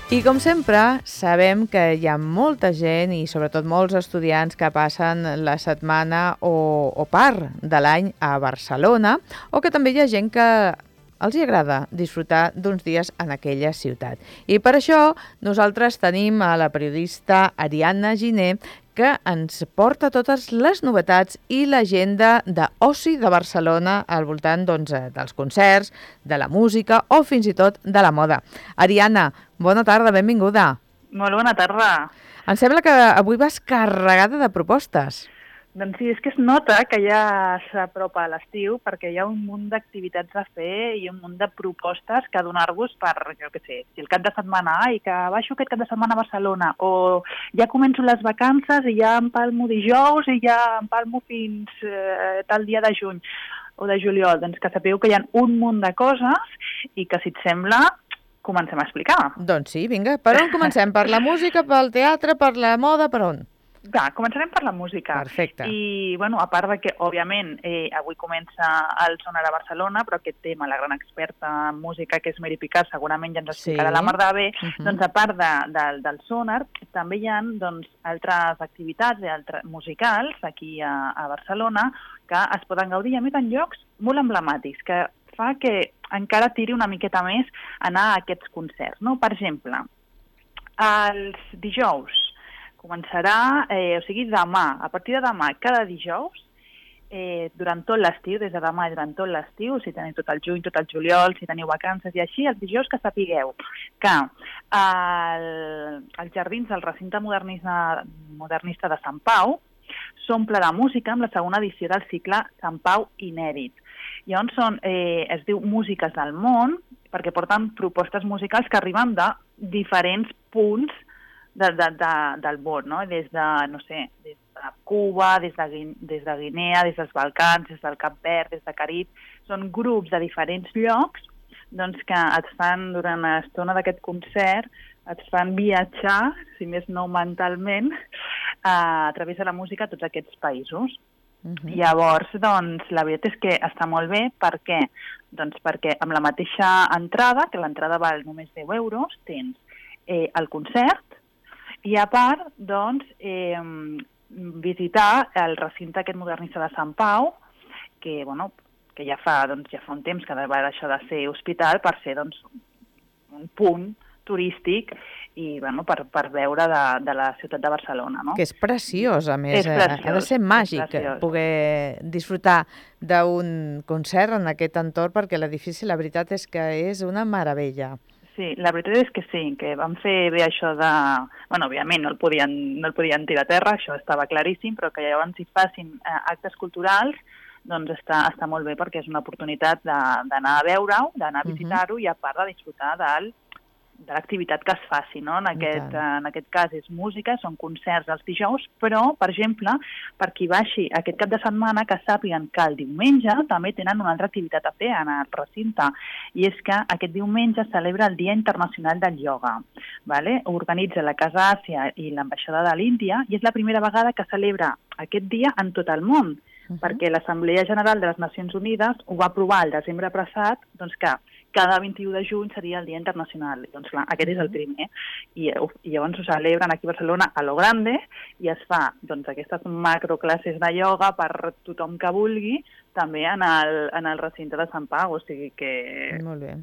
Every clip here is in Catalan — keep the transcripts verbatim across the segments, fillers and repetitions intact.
I com sempre, sabem que hi ha molta gent i sobretot molts estudiants que passen la setmana o, o part de l'any a Barcelona, o que també hi ha gent que els hi agrada disfrutar d'uns dies en aquella ciutat. I per això nosaltres tenim a la periodista Ariadna Giner, que ens porta totes les novetats i l'agenda d'oci de Barcelona al voltant doncs, dels concerts, de la música o fins i tot de la moda. Ariadna, bona tarda, benvinguda. Molt bona tarda. Em sembla que avui vas carregada de propostes. Doncs sí, és que es nota que ja s'apropa a l'estiu perquè hi ha un munt d'activitats a fer i un munt de propostes que donar-vos per, jo què sé, si el cap de setmana, ai, que baixo aquest cap de setmana a Barcelona, o ja començo les vacances i ja empalmo dijous i ja empalmo fins eh, tal dia de juny o de juliol. Doncs que sapeu que hi ha un munt de coses i que, si et sembla, comencem a explicar. Doncs sí, vinga, per on comencem? Per la música, pel teatre, per la moda, per on? Va, començarem per la música. Perfecte. I, bueno, a part de que, òbviament, eh, avui comença el Sonar a Barcelona, però aquest tema, la gran experta en música, que és Mary Picard, segurament ja ens explicarà sí. la mar de bé, uh -huh. doncs a part de, de, del Sonar, també hi ha doncs, altres activitats i altres musicals aquí a, a Barcelona que es poden gaudir, a més, en llocs molt emblemàtics, que fa que encara tiri una miqueta més anar a aquests concerts, no? Per exemple, els dijous començarà, eh, o sigui, demà, a partir de demà, cada dijous, eh, durant tot l'estiu, des de demà i durant tot l'estiu, si teniu tot el juny, tot el juliol, si teniu vacances i així, els dijous que sapigueu que el, els jardins del recinte modernista, modernista de Sant Pau s'omple de música amb la segona edició del cicle Sant Pau Inèdit. Llavors són, eh, es diu Músiques del Món, perquè porten propostes musicals que arriben de diferents punts de, de, de, del món, no? Des de, no sé, des de Cuba, des de, des de Guinea, des dels Balcans, des del Cap Verd, des de Carib. Són grups de diferents llocs doncs, que et fan, durant l'estona d'aquest concert, et fan viatjar, si més no mentalment, a, a través de la música a tots aquests països. Uh-huh. Llavors, doncs, la veritat és que està molt bé. Per què? Doncs perquè amb la mateixa entrada, que l'entrada val només deu euros, tens eh, el concert i, a part, doncs, eh, visitar el recinte aquest modernista de Sant Pau, que, bueno, que ja fa, doncs, ja fa un temps que va deixar de ser hospital per ser, doncs, un punt turístic i, bueno, per, per veure de, de la ciutat de Barcelona, no? Que és preciós, a més. És preciós, ha de ser màgic poder disfrutar d'un concert en aquest entorn, perquè l'edifici, la veritat és que és una meravella. Sí, la veritat és que sí, que van fer bé això de... Bueno, òbviament no el podien, no el podien tirar a terra, això estava claríssim, però que llavors hi facin eh, actes culturals, doncs està, està molt bé, perquè és una oportunitat d'anar a veure-ho, d'anar a visitar-ho, uh-huh. i a part de disfrutar del de l'activitat que es faci, no? En aquest, en aquest cas és música, són concerts els dijous, però, per exemple, per qui baixi aquest cap de setmana, que sàpiguen que el diumenge també tenen una altra activitat a fer en el recinte, i és que aquest diumenge celebra el Dia Internacional del Ioga. Vale? Organitza la Casa Àsia i l'Ambaixada de l'Índia, i és la primera vegada que celebra aquest dia en tot el món, uh-huh. perquè l'Assemblea General de les Nacions Unides ho va aprovar el desembre passat, doncs que cada vint-i-u de juny seria el Dia Internacional. Doncs clar, aquest és el primer. I, i llavors ho celebren aquí a Barcelona a lo grande i es fa doncs, aquestes macroclasses de ioga per tothom que vulgui, també en el, en el recinte de Sant Pau. O sigui que molt bé.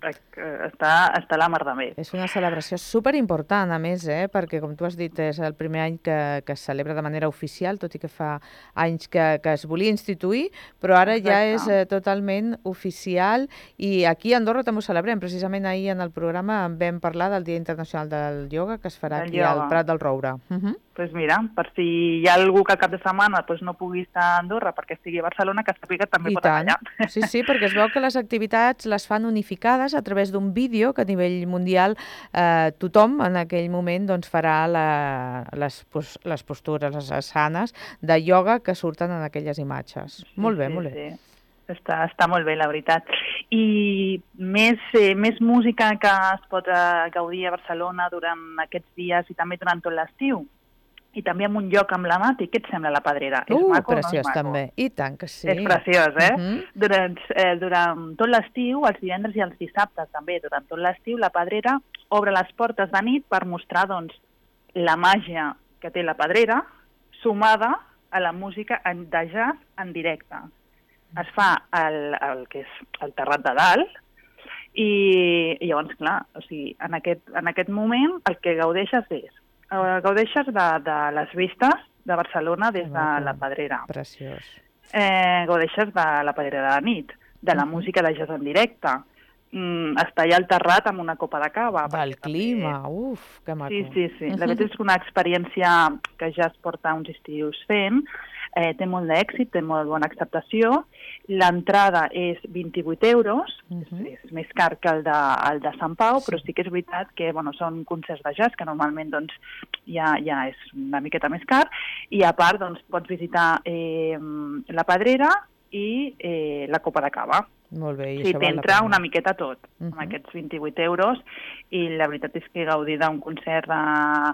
Està, està la mar de bé. És una celebració superimportant, a més, eh? Perquè, com tu has dit, és el primer any que, que es celebra de manera oficial, tot i que fa anys que, que es volia instituir, però ara Exacte. ja és eh, totalment oficial, i aquí a Andorra també ho celebrem. Precisament ahir en el programa vam parlar del Dia Internacional del Ioga, que es farà del aquí ioga. al Prat del Roure. Uh -huh. Doncs pues mira, per si hi ha algú que al cap de setmana pues, no pugui estar a Andorra perquè estigui a Barcelona, que sàpiga que també I pot tant. anar allà. Sí, sí, perquè es veu que les activitats les fan unificades a través d'un vídeo que a nivell mundial eh, tothom en aquell moment doncs, farà la, les, les postures, les asanes de ioga que surten en aquelles imatges. Sí, molt bé, sí, molt bé. Sí. Està, està molt bé, la veritat. I més, eh, més música que es pot eh, gaudir a Barcelona durant aquests dies i també durant tot l'estiu. i també en un lloc emblemàtic. Què et sembla la Pedrera? Uh, és maco o no és preciós maco? també. I tant que sí. És preciós, eh? Uh -huh. durant, eh? Durant tot l'estiu, els divendres i els dissabtes també, durant tot l'estiu, la Pedrera obre les portes de nit per mostrar, doncs, la màgia que té la Pedrera sumada a la música en, de jazz en directe. Es fa el, el que és el Terrat de Dalt, i, i llavors, clar, o sigui, en aquest, en aquest moment el que gaudeixes és gaudeixes de, de les vistes de Barcelona des de la Pedrera. Preciós. Eh, gaudeixes de la Pedrera de la nit, de la uh -huh. música de jazz en directe. Mm, estar allà al terrat amb una copa de cava. Del clima, també... uf, que maco. Sí, sí, sí. La veritat és una experiència que ja es porta uns estius fent. Eh, té molt d'èxit, té molt bona acceptació. L'entrada és vint-i-vuit euros, uh -huh. és, és més car que el de, el de Sant Pau, sí. Però sí que és veritat que bueno, són concerts de jazz, que normalment doncs, ja, ja és una miqueta més car, i a part doncs, pots visitar eh, la Pedrera i eh, la Copa de Cava. Molt bé, i sí, això val la t'entra pena. una miqueta tot, uh -huh. amb aquests vint-i-vuit euros, i la veritat és que gaudir d'un concert de,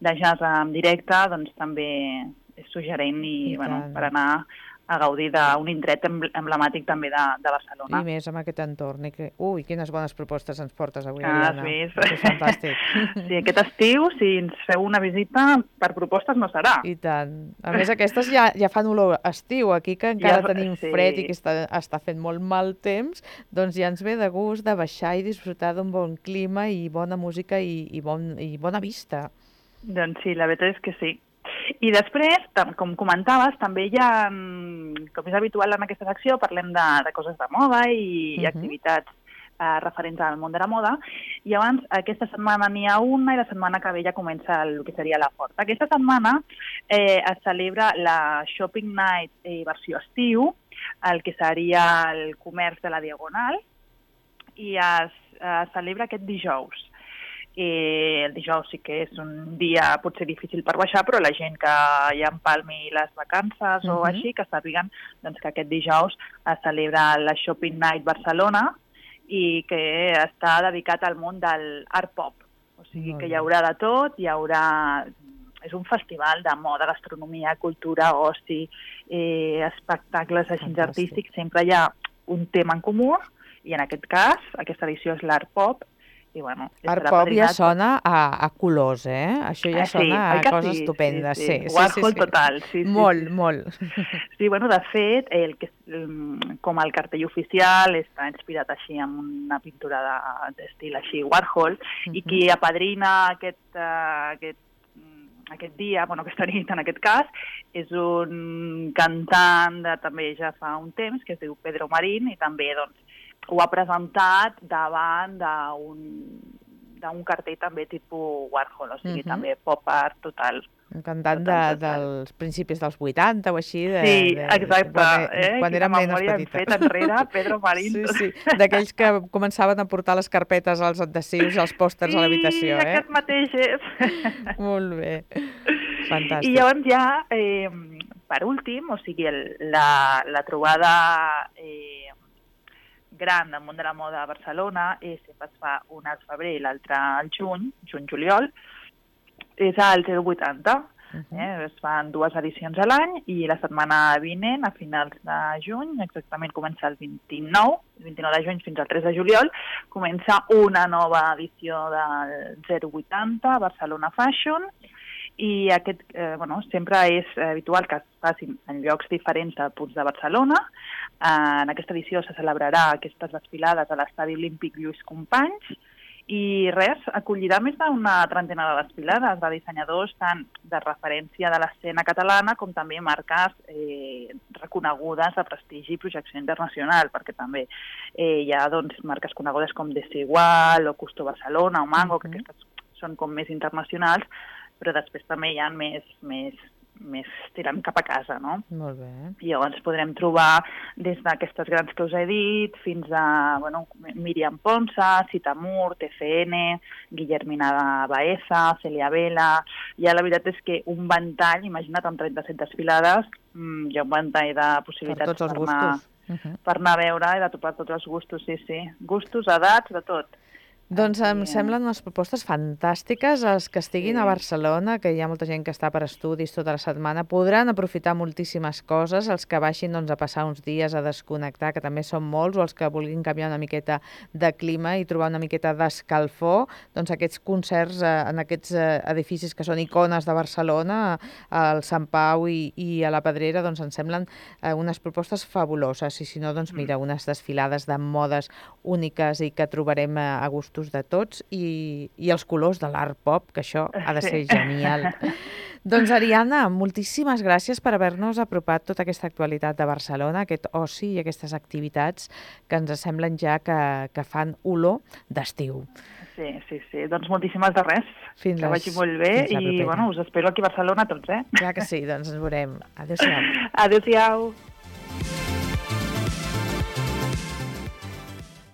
de jazz en directe doncs també és suggerent i, I bueno, per anar a gaudir d'un indret emblemàtic també de, de Barcelona. I més amb aquest entorn. I que... Ui, quines bones propostes ens portes avui, ah, Ariadna. Sí, és fantàstic. Sí, aquest estiu, si ens feu una visita, per propostes no serà. I tant. A més, aquestes ja, ja fan olor estiu. Aquí, que encara ja, tenim sí. fred i que està, està fent molt mal temps, doncs ja ens ve de gust de baixar i disfrutar d'un bon clima i bona música i, i, bon, i bona vista. Doncs sí, la veritat és que sí. I després, com comentaves, també hi ha, com és habitual en aquesta secció, parlem de, de coses de moda i, uh-huh. i activitats eh, referents al món de la moda. I llavors, aquesta setmana n'hi ha una i la setmana que ve ja comença el que seria la forta. Aquesta setmana eh, es celebra la Shopping Night eh, versió estiu, el que seria el comerç de la Diagonal, i es, es celebra aquest dijous. I el dijous sí que és un dia potser difícil per baixar, però la gent que ja empalmi les vacances uh-huh. o així, que sàpiguen doncs, que aquest dijous es celebra la Shopping Night Barcelona i que està dedicat al món del art pop. O sigui que hi haurà de tot, hi haurà... És un festival de moda, gastronomia, cultura, oci, eh, espectacles així artístics, sempre hi ha un tema en comú, i en aquest cas, aquesta edició és l'art pop. I, bueno, art pop ja sona a, a colors, eh? Això ja sí, sona a coses sí, estupendes. Sí, sí. sí, Warhol sí, sí. total. Sí, sí, molt, sí. molt. Sí, bueno, de fet, el que, com el cartell oficial està inspirat així en una pintura d'estil així Warhol, uh-huh. i qui apadrina aquest, uh, aquest, aquest dia, bueno, aquesta nit en aquest cas, és un cantant de també ja fa un temps, que es diu Pedro Marín, i també, doncs, ho ha presentat davant d'un cartell també tipus Warhol, o sigui, uh-huh. també pop art total. Un cantant de, dels principis dels vuitanta o així. De, sí, de, exacte. Quan, eh? quan érem nenes petites. Fet enrere, Pedro Marín. Sí, sí, d'aquells que començaven a portar les carpetes als adhesius i els pòsters sí, a l'habitació. Sí, eh? aquest mateix és. Molt bé, fantàstic. I llavors ja, eh, per últim, o sigui, el, la, la trobada... Eh, gran del món de la moda a Barcelona, és, sempre es fa un al febrer i l'altre al juny, juny-juliol, és al zero vuitanta. Uh-huh. eh? Es fan dues edicions a l'any i la setmana vinent, a finals de juny, exactament comença el vint-i-nou, el vint-i-nou de juny fins al tres de juliol, comença una nova edició del zero vuitanta, Barcelona Fashion, i aquest, eh, bueno, sempre és habitual que es facin en llocs diferents de punts de Barcelona. Eh, en aquesta edició se celebrarà aquestes desfilades a l'Estadi Olímpic Lluís Companys i res, acollirà més d'una trentena de desfilades de dissenyadors tant de referència de l'escena catalana com també marques eh, reconegudes de prestigi i projecció internacional, perquè també eh, hi ha doncs, marques conegudes com Desigual o Custo Barcelona o Mango, uh-huh. que aquestes són com més internacionals, però després també hi ha més, més, més tirant cap a casa, no? Molt bé. I llavors podrem trobar des d'aquestes grans que us he dit fins a bueno, Míriam Ponsa, Citamur, T C N, Guillermina Baeza, Celia Vela... Ja la veritat és que un ventall, imagina't, amb trenta-set desfilades, mmm, hi ha un ventall de possibilitats per, tots els per, anar, uh-huh. per anar a veure i de topar tots els gustos, sí, sí. Gustos, edats, de tot. Doncs em semblen unes propostes fantàstiques. Els que estiguin Sí. a Barcelona, que hi ha molta gent que està per estudis tota la setmana, podran aprofitar moltíssimes coses. Els que baixin doncs, a passar uns dies a desconnectar, que també són molts, o els que vulguin canviar una miqueta de clima i trobar una miqueta d'escalfor, doncs aquests concerts eh, en aquests eh, edificis que són icones de Barcelona, al Sant Pau i, i a la Pedrera, doncs ens semblen eh, unes propostes fabuloses. I si no, doncs mira, unes desfilades de modes úniques i que trobarem a, a gustos de tots, i, i els colors de l'art pop, que això ha de ser Sí. genial. Doncs Ariadna, moltíssimes gràcies per haver-nos apropat tota aquesta actualitat de Barcelona, aquest oci i aquestes activitats que ens semblen ja que, que fan olor d'estiu. Sí, sí, sí. Doncs moltíssimes de res. Fins que les- vagi molt bé fins la i propera. bueno, us espero aquí a Barcelona tots, eh? Clar que sí, doncs ens veurem. Adéu-siau. Adéu-siau.